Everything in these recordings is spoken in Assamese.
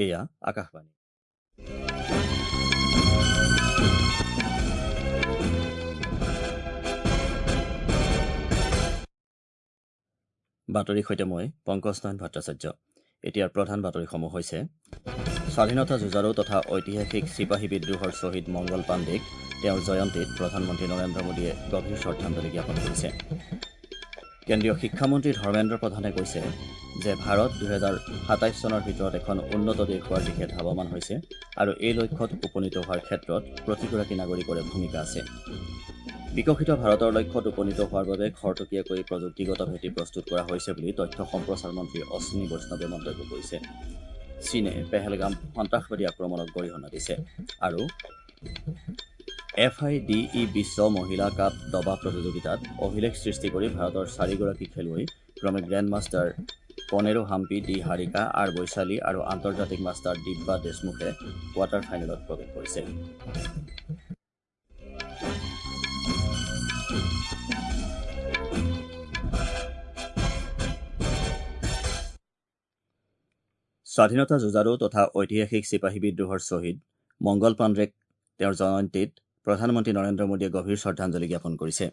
এয়া আকাশবাণী। বাতৰিৰ সৈতে মই পংকজ নাৰায়ণ ভট্টাচাৰ্য। এতিয়াৰ প্ৰধান বাতৰিসমূহ হৈছে: স্বাধীনতা যুঁজাৰু তথা ঐতিহাসিক চিপাহী বিদ্ৰোহৰ শ্বহীদ মংগল পাণ্ডেক তেওঁৰ জয়ন্তীত প্ৰধানমন্ত্ৰী নৰেন্দ্ৰ মোদীয়ে গভীৰ শ্ৰদ্ধাঞ্জলি জ্ঞাপন কৰিছে। কেন্দ্ৰীয় শিক্ষামন্ত্ৰী ধৰ্মেন্দ্ৰ প্ৰধানে কৈছে যে ভাৰত 2027 চনৰ ভিতৰত এখন উন্নত দেশ হোৱাৰ দিশে ধাৱমান হৈছে আৰু এই লক্ষ্যত উপনীত হোৱাৰ ক্ষেত্ৰত প্ৰতিগৰাকী নাগৰিকৰে ভূমিকা আছে। বিকশিত ভাৰতৰ লক্ষ্যত উপনীত হোৱাৰ বাবে খৰতকীয়াকৈ প্ৰযুক্তিগত ভেটি প্ৰস্তুত কৰা হৈছে বুলি তথ্য সম্প্ৰচাৰ মন্ত্ৰী অশ্বিনী বৈষ্ণৱে মন্তব্য কৰিছে। চীনে পেহেলগাম সন্ত্ৰাসবাদী আক্ৰমণক গৰিহণা দিছে আৰু FIDE বিশ্ব মহিলা কাপ দবা প্ৰতিযোগিতাত অভিলেখ সৃষ্টি কৰি ভাৰতৰ চাৰিগৰাকী খেলুৱৈ ক্ৰমে grand master Koneru Humpy, D Harika, R Vaishali আৰু আন্তৰ্জাতিক মাষ্টাৰ দিব্যা দেশমুখে কোৱাৰ্টাৰ ফাইনেলত প্ৰৱেশ কৰিছে। স্বাধীনতা যুঁজাৰু তথা ঐতিহাসিক চিপাহী বিদ্ৰোহৰ শ্বহীদ মংগল পাণ্ডেক তেওঁৰ জয়ন্তীত প্ৰধানমন্ত্ৰী নৰেন্দ্ৰ মোদীয়ে গভীৰ শ্ৰদ্ধাঞ্জলি জ্ঞাপন কৰিছে।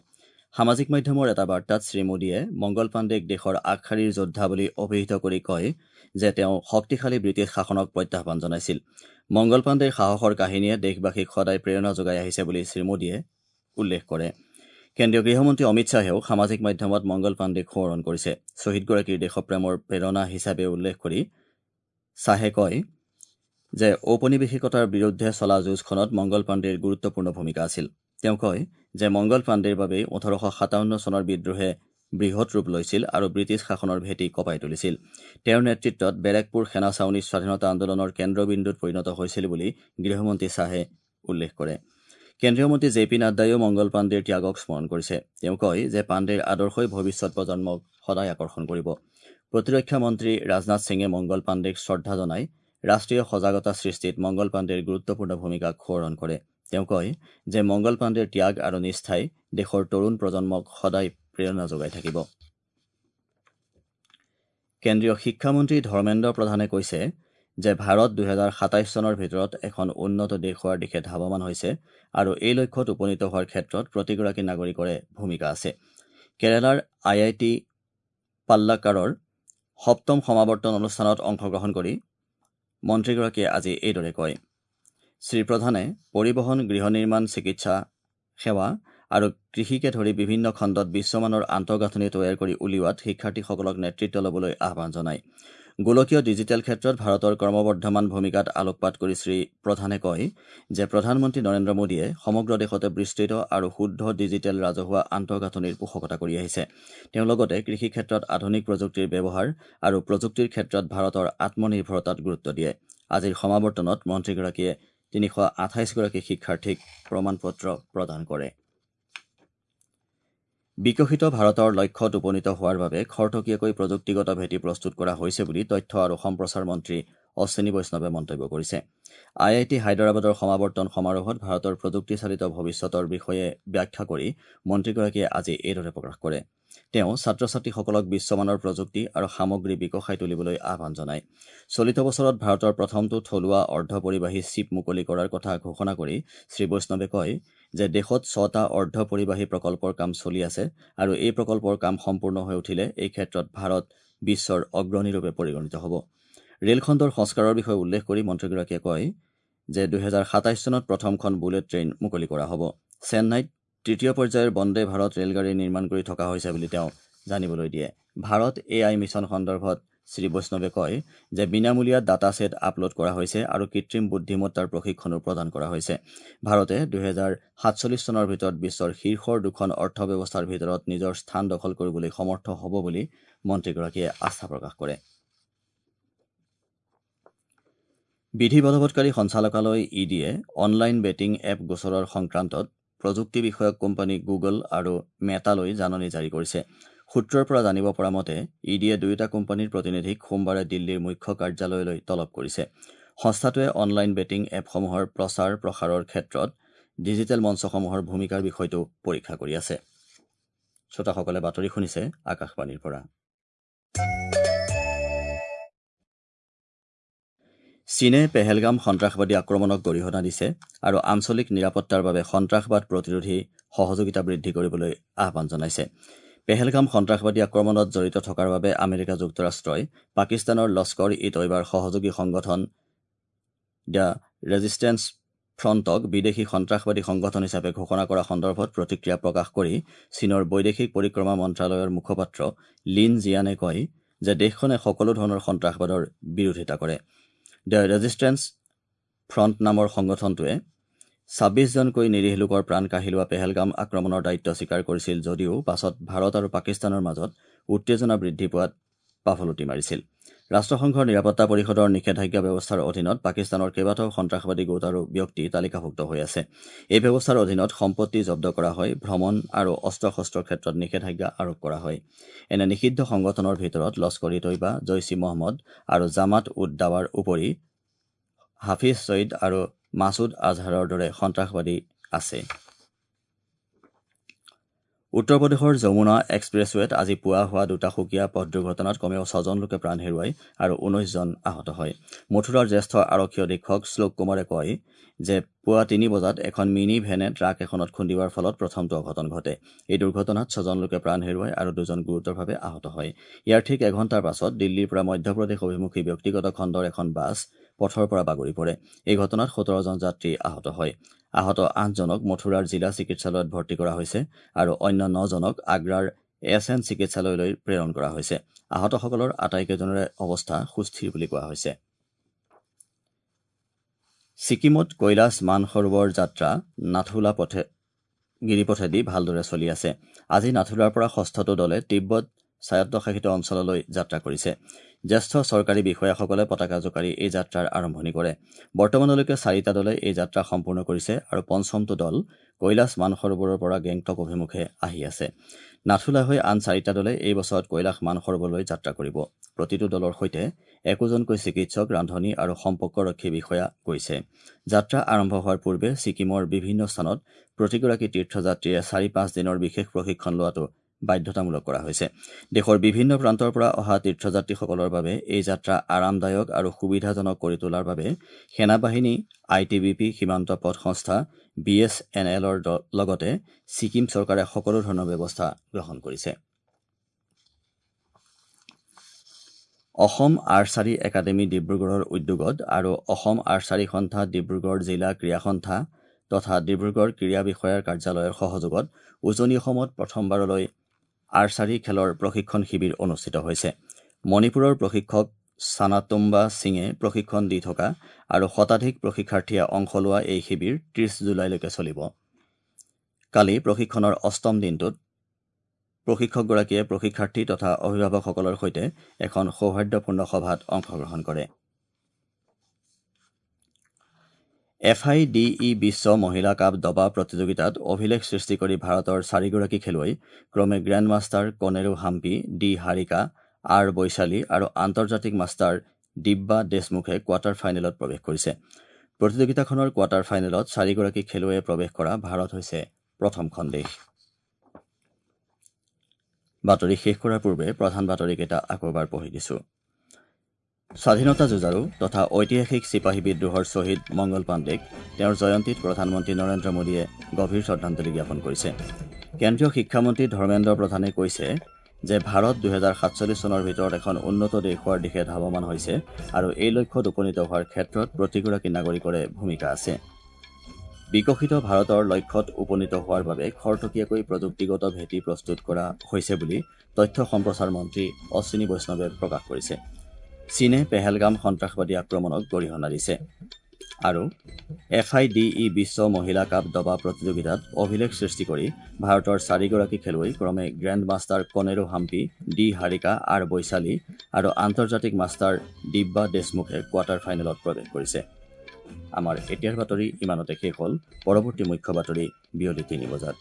সামাজিক মাধ্যমৰ এটা বাৰ্তাত শ্ৰীমোদীয়ে মংগল পাণ্ডেক দেশৰ আগশাৰীৰ যোদ্ধা বুলি অভিহিত কৰি কয় যে তেওঁ শক্তিশালী ব্ৰিটিছ শাসনক প্ৰত্যাহ্বান জনাইছিল। মংগল পাণ্ডেৰ সাহসৰ কাহিনীয়ে দেশবাসীক সদায় প্ৰেৰণা যোগাই আহিছে বুলি শ্ৰীমোদীয়ে উল্লেখ কৰে। কেন্দ্ৰীয় গৃহমন্ত্ৰী অমিত শ্বাহেও সামাজিক মাধ্যমত মংগল পাণ্ডেক সোঁৱৰণ কৰিছে। শ্বহীদগৰাকীৰ দেশপ্ৰেমৰ প্ৰেৰণা হিচাপে উল্লেখ কৰি শ্বাহে কয় যে ঔপনিৱেশিকতাৰ বিৰুদ্ধে চলা যুঁজখনত মংগল পাণ্ডেৰ গুৰুত্বপূৰ্ণ ভূমিকা আছিল। তেওঁ কয় যে মংগল পাণ্ডেৰ বাবেই 1857 চনৰ বিদ্ৰোহে বৃহৎ ৰূপ লৈছিল আৰু ব্ৰিটিছ শাসনৰ ভেটি কঁপাই তুলিছিল। তেওঁৰ নেতৃত্বত বেৰেকপুৰ সেনা ছাউনী স্বাধীনতা আন্দোলনৰ কেন্দ্ৰবিন্দুত পৰিণত হৈছিল বুলি গৃহমন্ত্ৰী শ্বাহে উল্লেখ কৰে। কেন্দ্ৰীয় মন্ত্ৰী জে পি নাড্ডাইও মংগল পাণ্ডেৰ ত্যাগক স্মৰণ কৰিছে। তেওঁ কয় যে পাণ্ডেৰ আদৰ্শই ভৱিষ্যত প্ৰজন্মক সদায় আকৰ্ষণ কৰিব। প্ৰতিৰক্ষা মন্ত্ৰী ৰাজনাথ সিঙে মংগল পাণ্ডেক শ্ৰদ্ধা জনাই ৰাষ্ট্ৰীয় সজাগতা সৃষ্টিত মংগল পাণ্ডেৰ গুৰুত্বপূৰ্ণ ভূমিকাক সোঁৱৰণ কৰে। তেওঁ কয় যে মংগল পাণ্ডেৰ ত্যাগ আৰু নিষ্ঠাই দেশৰ তৰুণ প্ৰজন্মক সদায় প্ৰেৰণা যোগাই থাকিব। কেন্দ্ৰীয় শিক্ষামন্ত্ৰী ধৰ্মেন্দ্ৰ প্ৰধানে কৈছে যে ভাৰত 2027 চনৰ ভিতৰত এখন উন্নত দেশ হোৱাৰ দিশে ধাৱমান হৈছে আৰু এই লক্ষ্যত উপনীত হোৱাৰ ক্ষেত্ৰত প্ৰতিগৰাকী নাগৰিকৰে ভূমিকা আছে। কেৰালাৰ IIT পাল্লাকাৰৰ সপ্তম সমাৱৰ্তন অনুষ্ঠানত অংশগ্ৰহণ কৰি মন্ত্ৰীগৰাকীয়ে আজি এইদৰে কয়। শ্ৰীপ্ৰধানে পৰিবহণ, গৃহ নিৰ্মাণ, চিকিৎসা সেৱা আৰু কৃষিকে ধৰি বিভিন্ন খণ্ডত বিশ্বমানৰ আন্তঃগাঁথনি তৈয়াৰ কৰি উলিওৱাত শিক্ষাৰ্থীসকলক নেতৃত্ব ল'বলৈ আহ্বান জনায়। গোলকীয় ডিজিটেল ক্ষেত্ৰত ভাৰতৰ ক্ৰমবৰ্ধমান ভূমিকাত আলোকপাত কৰি শ্ৰী প্ৰধানে কয় যে প্ৰধানমন্ত্ৰী নৰেন্দ্ৰ মোদীয়ে সমগ্ৰ দেশতে বিস্তৃত আৰু শুদ্ধ ডিজিটেল ৰাজহুৱা আন্তঃগাঁথনিৰ পোষকতা কৰি আহিছে। তেওঁ লগতে কৃষি ক্ষেত্ৰত আধুনিক প্ৰযুক্তিৰ ব্যৱহাৰ আৰু প্ৰযুক্তিৰ ক্ষেত্ৰত ভাৰতৰ আত্মনিৰ্ভৰতাত গুৰুত্ব দিয়ে। আজিৰ সমাৱৰ্তনত মন্ত্ৰীগৰাকীয়ে 328গৰাকী শিক্ষাৰ্থীক প্ৰমাণপত্ৰ প্ৰদান কৰে। বিকশিত ভাৰতৰ লক্ষ্যত উপনীত হোৱাৰ বাবে খৰতকীয়াকৈ প্ৰযুক্তিগত ভেটি প্ৰস্তুত কৰা হৈছে বুলি তথ্য আৰু সম্প্ৰচাৰ মন্ত্ৰী অশ্বিনী বৈষ্ণৱে মন্তব্য কৰিছে। IIT হায়দৰাবাদৰ সমাৱৰ্তন সমাৰোহত ভাৰতৰ প্ৰযুক্তিচালিত ভৱিষ্যতৰ বিষয়ে ব্যাখ্যা কৰি মন্ত্ৰীগৰাকীয়ে আজি এইদৰে প্ৰকাশ কৰে। তেওঁ ছাত্ৰ ছাত্ৰীসকলক বিশ্বমানৰ প্ৰযুক্তি আৰু সামগ্ৰী বিকশাই তুলিবলৈ আহ্বান জনায়। চলিত বছৰত ভাৰতৰ প্ৰথমটো থলুৱা অৰ্ধপৰিবাহী চিপ মুকলি কৰাৰ কথা ঘোষণা কৰি শ্ৰী বৈষ্ণৱে কয় যে দেশত 6টা অৰ্ধপৰিবাহী প্ৰকল্পৰ কাম চলি আছে আৰু এই প্ৰকল্পৰ কাম সম্পূৰ্ণ হৈ উঠিলে এই ক্ষেত্ৰত ভাৰত বিশ্বৰ অগ্ৰণীৰূপে পৰিগণিত হ'ব। ৰেলখণ্ডৰ সংস্কাৰৰ বিষয়ে উল্লেখ কৰি মন্ত্ৰীগৰাকীয়ে কয় যে 2027 চনত প্ৰথমখন বুলেট ট্ৰেইন মুকলি কৰা হ'ব। চেন্নাইত তৃতীয় পৰ্যায়ৰ বন্দে ভাৰত ৰেলগাড়ী নিৰ্মাণ কৰি থকা হৈছে বুলি তেওঁ জানিবলৈ দিয়ে। ভাৰত AI mission সন্দৰ্ভত শ্ৰী বৈষ্ণৱে কয় যে বিনামূলীয়া ডাটা ছেট আপলোড কৰা হৈছে আৰু কৃত্ৰিম বুদ্ধিমত্তাৰ প্ৰশিক্ষণো প্ৰদান কৰা হৈছে। ভাৰতে 2047 চনৰ ভিতৰত বিশ্বৰ শীৰ্ষৰ দুখন অৰ্থব্যৱস্থাৰ ভিতৰত নিজৰ স্থান দখল কৰিবলৈ সমৰ্থ হ'ব বুলি মন্ত্ৰীগৰাকীয়ে আস্থা প্ৰকাশ কৰে। বিধি বলবৎকাৰী সঞ্চালকালয় ইডিয়ে অনলাইন বেটিং এপ গোচৰৰ সংক্ৰান্তত প্ৰযুক্তি বিষয়ক কোম্পানী গুগল আৰু মেটালৈ জাননী জাৰি কৰিছে। সূত্ৰৰ পৰা জানিব পৰা মতে ইডিয়ে দুয়োটা কোম্পানীৰ প্ৰতিনিধিক সোমবাৰে দিল্লীৰ মুখ্য কাৰ্যালয়লৈ তলব কৰিছে। সংস্থাটোৱে অনলাইন বেটিং এপসমূহৰ প্ৰচাৰ প্ৰসাৰৰ ক্ষেত্ৰত ডিজিটেল মঞ্চসমূহৰ ভূমিকাৰ বিষয়টো পৰীক্ষা কৰি আছে। শ্ৰোতাসকলে বাতৰি শুনিছে আকাশবাণীৰ পৰা। চীনে পেহেলগাম সন্ত্ৰাসবাদী আক্ৰমণক গৰিহণা দিছে আৰু আঞ্চলিক নিৰাপত্তাৰ বাবে সন্ত্ৰাসবাদ প্ৰতিৰোধী সহযোগিতা বৃদ্ধি কৰিবলৈ আহ্বান জনাইছে। পেহেলগাম সন্ত্ৰাসবাদী আক্ৰমণত জড়িত থকাৰ বাবে আমেৰিকা যুক্তৰাষ্ট্ৰই পাকিস্তানৰ লস্কৰ ই তৈবাৰ সহযোগী সংগঠন the resistance ফ্ৰণ্টক বিদেশী সন্ত্ৰাসবাদী সংগঠন হিচাপে ঘোষণা কৰা সন্দৰ্ভত প্ৰতিক্ৰিয়া প্ৰকাশ কৰি চীনৰ বৈদেশিক পৰিক্ৰমা মন্ত্ৰালয়ৰ মুখপাত্ৰ লিন জিয়ানে কয় যে দেশখনে সকলো ধৰণৰ সন্ত্ৰাসবাদৰ বিৰোধিতা কৰে। The resistance front নামৰ সংগঠনটোৱে 26জনকৈ নিৰীহ লোকৰ প্ৰাণ কাঢ়ি লোৱা পেহেলগাম আক্ৰমণৰ দায়িত্ব স্বীকাৰ কৰিছিল যদিও পাছত ভাৰত আৰু পাকিস্তানৰ মাজত উত্তেজনা বৃদ্ধি পোৱাত পাফলুটি মাৰিছিল। ৰাষ্ট্ৰসংঘৰ নিৰাপত্তা পৰিষদৰ নিষেধাজ্ঞা ব্যৱস্থাৰ অধীনত পাকিস্তানৰ কেইবাটাও সন্ত্ৰাসবাদী গোট আৰু ব্যক্তি তালিকাভুক্ত হৈ আছে। এই ব্যৱস্থাৰ অধীনত সম্পত্তি জব্দ কৰা হয়, ভ্ৰমণ আৰু অস্ত্ৰ শস্ত্ৰৰ ক্ষেত্ৰত নিষেধাজ্ঞা আৰোপ কৰা হয়। এনে নিষিদ্ধ সংগঠনৰ ভিতৰত লস্কৰ ই তৈবা, জৈছ ই মহম্মদ আৰু জামাত উদ দাৱাৰ উপৰি হাফিজ ছঈদ আৰু মাছুদ আজহাৰৰ দৰে সন্ত্ৰাসবাদী আছে। উত্তৰ প্ৰদেশৰ যমুনা এক্সপ্ৰেছৱেত আজি পুৱা হোৱা দুটা সুকীয়া পথ দুৰ্ঘটনাত কমেও 6জন লোকে প্ৰাণ হেৰুৱায় আৰু 19জন আহত হয়। মথুৰাৰ জ্যেষ্ঠ আৰক্ষী অধীক্ষক শ্লোক কুমাৰে কয় যে পুৱা 3 বজাত এখন মিনি ভেনে ট্ৰাক এখনত খুন্দিওৱাৰ ফলত প্ৰথমটো অঘটন ঘটে। এই দুৰ্ঘটনাত 6জন লোকে প্ৰাণ হেৰুৱায় আৰু 2জন গুৰুতৰভাৱে আহত হয়। ইয়াৰ ঠিক এঘণ্টাৰ পাছত দিল্লীৰ পৰা মধ্যপ্ৰদেশ অভিমুখী ব্যক্তিগত খণ্ডৰ এখন বাছ পথৰ পৰা বাগৰি পৰে। এই ঘটনাত 17জন যাত্ৰী আহত হয়। আহত 8জনক মথুৰাৰ জিলা চিকিৎসালয়ত ভৰ্তি কৰা হৈছে আৰু অন্য 9জনক আগ্ৰাৰ এছ এন চিকিৎসালয়লৈ প্ৰেৰণ কৰা হৈছে। আহতসকলৰ আটাইকেইজনৰে অৱস্থা সুস্থিৰ বুলি কোৱা হৈছে। ছিকিমত কৈলাশ মানসৰোবৰ যাত্ৰা নাথুলা পথে গিৰিপথেদি ভালদৰে চলি আছে। আজি নাথুলাৰ পৰা ষষ্ঠটো দলে তিব্বত স্বায়ত্তশাসিত অঞ্চললৈ যাত্ৰা কৰিছে। জ্যেষ্ঠ চৰকাৰী বিষয়াসকলে পতাকা জোকাৰি এই যাত্ৰাৰ আৰম্ভণি কৰে। বৰ্তমানলৈকে 4টা দলে এই যাত্ৰা সম্পূৰ্ণ কৰিছে আৰু পঞ্চমটো দল কৈলাশ মানসৰোবৰৰ পৰা গেংটক অভিমুখে আহি আছে। নাথুলা হৈ আন 4টা দলে এই বছৰত কৈলাশ মানসৰোবৰলৈ যাত্ৰা কৰিব। প্ৰতিটো দলৰ সৈতে একোজনকৈ চিকিৎসক, ৰান্ধনী আৰু সম্পৰ্কৰক্ষী বিষয়া গৈছে। যাত্ৰা আৰম্ভ হোৱাৰ পূৰ্বে ছিকিমৰ বিভিন্ন স্থানত প্ৰতিগৰাকী তীৰ্থযাত্ৰীয়ে 4-5 দিনৰ বিশেষ প্ৰশিক্ষণ লোৱাটো বাধ্যতামূলক কৰা হৈছে। দেশৰ বিভিন্ন প্ৰান্তৰ পৰা অহা তীৰ্থযাত্ৰীসকলৰ বাবে এই যাত্ৰা আৰামদায়ক আৰু সুবিধাজনক কৰি তোলাৰ বাবে সেনাবাহিনী, I T B P, সীমান্ত পথ সংস্থা, বি এছ এন এলৰ লগতে ছিকিম চৰকাৰে সকলো ধৰণৰ ব্যৱস্থা গ্ৰহণ কৰিছে। অসম আৰ্চাৰী একাডেমী ডিব্ৰুগড়ৰ উদ্যোগত আৰু অসম আৰ্চাৰী সন্থা ডিব্ৰুগড় জিলা ক্ৰীড়া সন্থা তথা ডিব্ৰুগড় ক্ৰীড়া বিষয়াৰ কাৰ্যালয়ৰ সহযোগত উজনি অসমত প্ৰথমবাৰলৈ আৰ্চাৰী খেলৰ প্ৰশিক্ষণ শিবিৰ অনুষ্ঠিত হৈছে। মণিপুৰৰ প্ৰশিক্ষক ছানাতুম্বা সিঙে প্ৰশিক্ষণ দি থকা আৰু শতাধিক প্ৰশিক্ষাৰ্থীয়ে অংশ লোৱা এই শিবিৰ 30 জুলাইলৈকে চলিব। কালি প্ৰশিক্ষণৰ অষ্টম দিনটোত প্ৰশিক্ষকগৰাকীয়ে প্ৰশিক্ষাৰ্থী তথা অভিভাৱকসকলৰ সৈতে এখন সৌহাৰ্দ্যপূৰ্ণ সভাত অংশগ্ৰহণ কৰে। এফ আই ডি ই বিশ্ব মহিলা কাপ দবা প্ৰতিযোগিতাত অভিলেখ সৃষ্টি কৰি ভাৰতৰ 4গৰাকী খেলুৱৈ ক্ৰমে grand master Koneru Humpy, D Harika, R Vaishali আৰু আন্তৰ্জাতিক মাষ্টাৰ দিব্যা দেশমুখে কোৱাৰ্টাৰ ফাইনেলত প্ৰৱেশ কৰিছে। প্ৰতিযোগিতাখনৰ কোৱাৰ্টাৰ ফাইনেলত 4গৰাকী খেলুৱৈয়ে প্ৰৱেশ কৰা ভাৰত হৈছে প্ৰথমখন দেশ। বাতৰি শেষ কৰাৰ পূৰ্বে প্ৰধান বাতৰিকেইটা আকৌ এবাৰ পঢ়ি দিছো। স্বাধীনতা যুঁজাৰু তথা ঐতিহাসিক চিপাহী বিদ্ৰোহৰ শ্বহীদ মংগল পাণ্ডেক তেওঁৰ জয়ন্তীত প্ৰধানমন্ত্ৰী নৰেন্দ্ৰ মোদীয়ে গভীৰ শ্ৰদ্ধাঞ্জলি জ্ঞাপন কৰিছে। কেন্দ্ৰীয় শিক্ষামন্ত্ৰী ধৰ্মেন্দ্ৰ প্ৰধানে কৈছে যে ভাৰত 2047 চনৰ ভিতৰত এখন উন্নত দেশ হোৱাৰ দিশে ধাৱমান হৈছে আৰু এই লক্ষ্যত উপনীত হোৱাৰ ক্ষেত্ৰত প্ৰতিগৰাকী নাগৰিকৰে ভূমিকা আছে। বিকশিত ভাৰতৰ লক্ষ্যত উপনীত হোৱাৰ বাবে খৰতকীয়াকৈ প্ৰযুক্তিগত ভেটি প্ৰস্তুত কৰা হৈছে বুলি তথ্য সম্প্ৰচাৰ মন্ত্ৰী অশ্বিনী বৈষ্ণৱে প্ৰকাশ কৰিছে। চীনে পেহেলগাম সন্ত্ৰাসবাদী আক্ৰমণক গৰিহণা দিছে আৰু এফ আই ডি ই বিশ্ব মহিলা কাপ দবা প্ৰতিযোগিতাত অভিলেখ সৃষ্টি কৰি ভাৰতৰ 4গৰাকী খেলুৱৈ ক্ৰমে grand master Koneru Humpy, D Harika, R Vaishali আৰু আন্তৰ্জাতিক মাষ্টাৰ দিব্যা দেশমুখে কোৱাৰ্টাৰ ফাইনেলত প্ৰৱেশ কৰিছে। আমাৰ এতিয়াৰ বাতৰি ইমানতে শেষ হ'ল। পৰৱৰ্তী মুখ্য বাতৰি বিয়লি 3 বজাত।